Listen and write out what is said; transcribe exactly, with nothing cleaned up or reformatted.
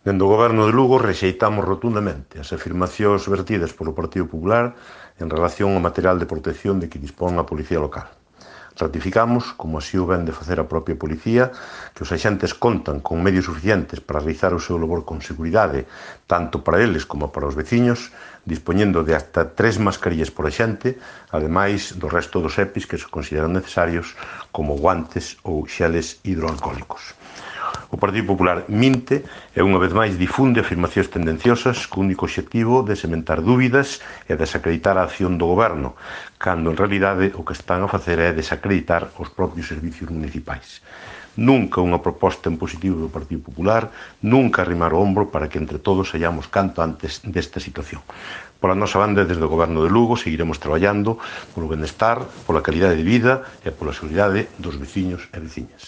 Dende o Goberno de Lugo rexeitamos rotundamente as afirmacións vertidas polo Partido Popular en relación ao material de protección de que dispón a Policía Local. Ratificamos, como así o ven de facer a propia Policía, que os axentes contan con medios suficientes para realizar o seu labor con seguridade, tanto para eles como para os veciños, dispoñendo de hasta tres mascarillas por axente, ademais do resto dos EPIs que se consideran necesarios, como guantes ou xeles hidroalcohólicos. O Partido Popular minte e unha vez máis difunde afirmacións tendenciosas co único obxectivo de sementar dúbidas e desacreditar a acción do Goberno, cando en realidade o que están a facer é desacreditar os propios servicios municipais. Nunca unha proposta en positivo do Partido Popular, nunca arrimar o ombro para que entre todos saíamos canto antes desta situación. Pola nosa banda, desde o Goberno de Lugo, seguiremos traballando polo benestar, pola calidade de vida e pola seguridade dos veciños e veciñas.